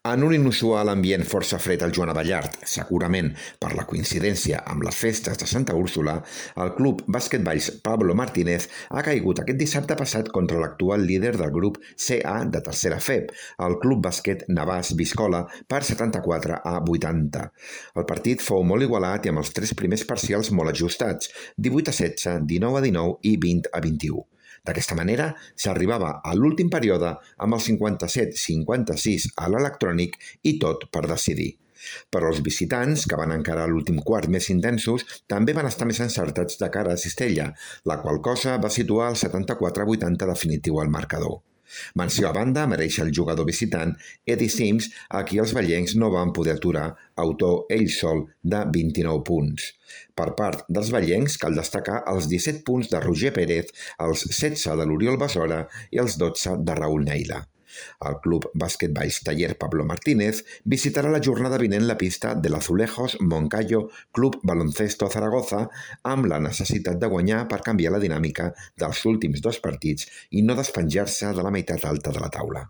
En un inusual ambient força fred al Joan Abellart, segurament per la coincidència amb les festes de Santa Úrsula, el club basquetballs Pablo Martínez ha caigut aquest dissabte passat contra l'actual líder del grup CA de tercera FEB, el Club Bàsquet Navàs Biscola, per 74-80. El partit fou molt igualat i amb els tres primers parcials molt ajustats, 18-16, 19-19 i 20-21. D'aquesta manera, s'arribava a l'últim període amb el 57-56 a l'electrònic i tot per decidir. Però els visitants, que van encarar l'últim quart més intensos, també van estar més encertats de cara a Cistella, la qual cosa va situar el 74-80 definitiu al marcador. Menció a banda mereix el jugador visitant Eddie Sims, a qui els vellencs no van poder aturar, autor ell sol de 29 punts. Per part dels vellencs cal destacar els 17 punts de Roger Pérez, els 16 de l'Oriol Besora i els 12 de Raúl Neila. El club basquetballs Taller Pablo Martínez visitarà la jornada vinent la pista de l'Azulejos Moncayo Club Baloncesto Zaragoza amb la necessitat de guanyar per canviar la dinàmica dels últims dos partits i no despenjar-se de la meitat alta de la taula.